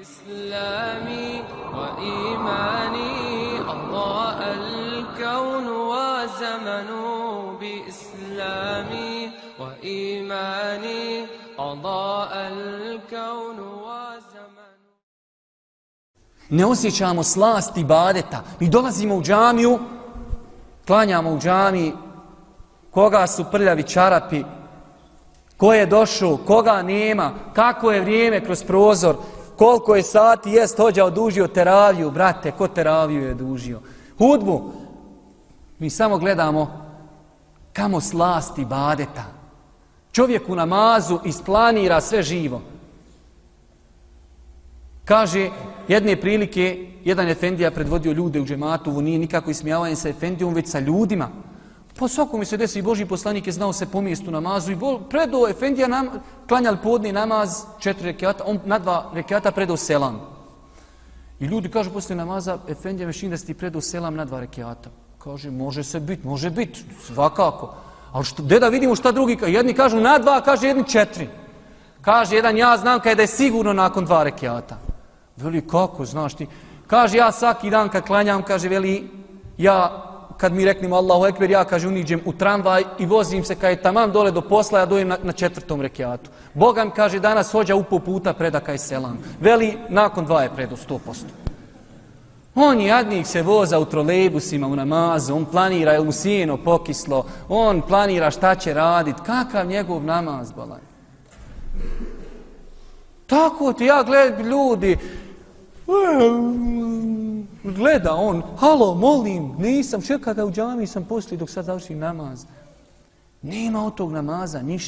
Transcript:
إسلامي وإيماني أضاء الكون وزمن بإسلامي وإيماني أضاء الكون وزمن. Ne osjećamo slast ibadeta. Mi dolazimo u džamiju, klanjamo u džamiji, koga su prljavi čarapi, ko je došao, koga nema, kako je vrijeme kroz prozor, koliko je sati, jest hođa odužio teraviju, brate, ko teraviju je odužio. Hudbu, mi samo gledamo kamo slast ibadeta. Čovjek u namazu isplanira sve živo. Kaže, jedne prilike, jedan efendija predvodio ljude u džematu, ovo nije nikako ismijavanje sa efendijom, već sa ljudima. Po svakom mi se desi, Božji poslanik je znao se po mjestu namazu i predao efendija, klanjali podni namaz 4 rekata, on na 2 rekata predao selam. I ljudi kažu poslije namaza, efendija mešin da si ti predao selam na 2 rekata. Kaže, može biti, svakako. Ali gdje da vidimo šta drugi, jedni kažu na 2, kaže jedni 4. Kaže jedan, ja znam kada je sigurno nakon 2 rekata. Veli, kako, znaš ti? Kaže, ja svaki dan kad klanjam, kaže, veli, ja, kad mi reknemo Allahu Ekber, ja, kaže, uniđem u tramvaj i vozim se kad je tamam dole do posla, ja dojem na 4. rekatu. Boga mi, kaže, danas hođa upo puta preda kaj selam. Veli, nakon 2 je predo 100%. On jadnik se voza u trolejbusima u namazu, on planira jel mu sjeno pokislo, on planira šta će radit, kakav njegov namaz, balaj. Tako ti ja gledam ljudi, gleda on, halo, molim, nisam, čekaj da u džami sam poslije dok sad završim namaz. Nema od tog namaza ništa.